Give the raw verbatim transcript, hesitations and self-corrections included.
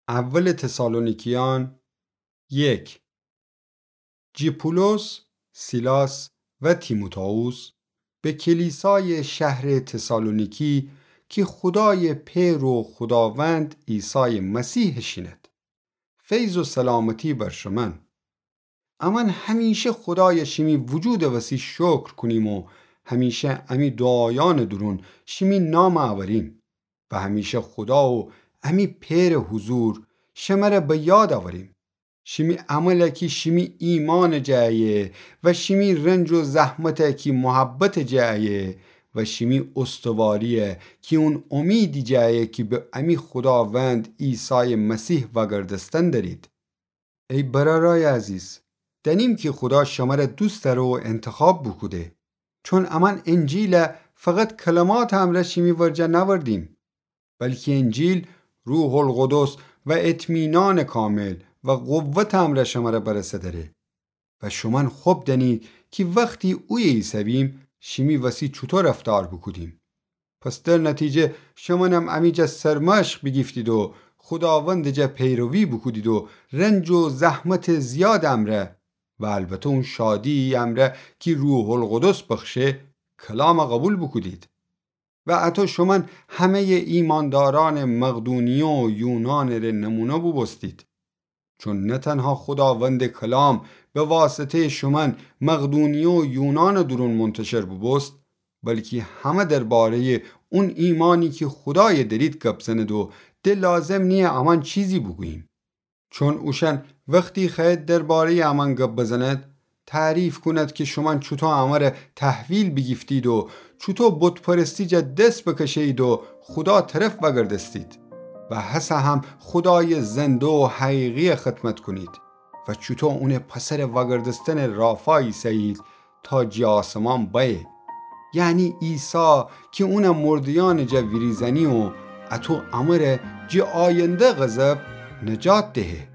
اول تسالونیکیان یک. جی پولس، سیلاس و تیموتائوس به کلیسای شهر تسالونیکی کی خودای پئر و خوداوند عیسای مسیح شینید. فیض و سلامتی بر شمن. امن همیشه خودای شیمی وجود وسی شکر کونیم و همیشه امی دعایان دورون شیمی نام اوریم و همیشه خودا و امی پئر حضور شمره به یاد اوریم. شیمی عمل کی شیمی ایمان جه ایه و شیمی رنج و زحمت کی محبت جه ایه و شیمی استواری کی اون امید جه ایه کی به امی خوداوند عیسای مسیح وگردستن دأرید. ای برارای عزیز، دأنیم کی خودا شمره دوست دأره و انتخاب بوکوده. چون امن انجیل فقط کلمات امرأ شیمی ورجه نأوردیم، بلکی انجیل روح القدس و اطمینان کامل و قوت امرأ شمره برسه دأره. و شومأن خب دأنید کی وختی اویه ایسه‌بیم شیمی وسی چوطو رفتار بوکودیم. پس در نتیجه شومأنم امی جا سرمشق بیگیفتید و خوداوند جا پیروی بوکودید و رنج و زحمت زیاد امرأ و البته اون شادی امرأ کی روح القدس بخشه کلام قبول بوکودید. و اطو شومأن همه‌ی ایماندارأن مقدونیه و یونان ره نمونه بوبوستید. چون نه تنها خوداوند کلام به واسطه‌ی شومأن مقدونیه و یونان دورون منتشر بوبوست، بلکی همه درباره‌ی اون ایمانی کی خودای دأرید گپ زنید و ده لازم نییه امأن چیزی بوگوییم. چون اوشأن وختی خوأید درباره‌ی امأن گپ بزنید، تعریف کونید کی شومأن چوطو امره تحویل بیگیفتید و چوطو بت‌پرستی جا دس بکشه‌یید و خودا طرف وگردستید و هسه هم خودای زنده و حقیقی خدمت کونید و چوطو اون پسر وگردستن رافا ایسه‌یید تا جی آسمان بأیه. یعنی عیسی کی اون مرده‌یأن جا ویریزأنی و اطو امره جی آینده غضب نجات دهه.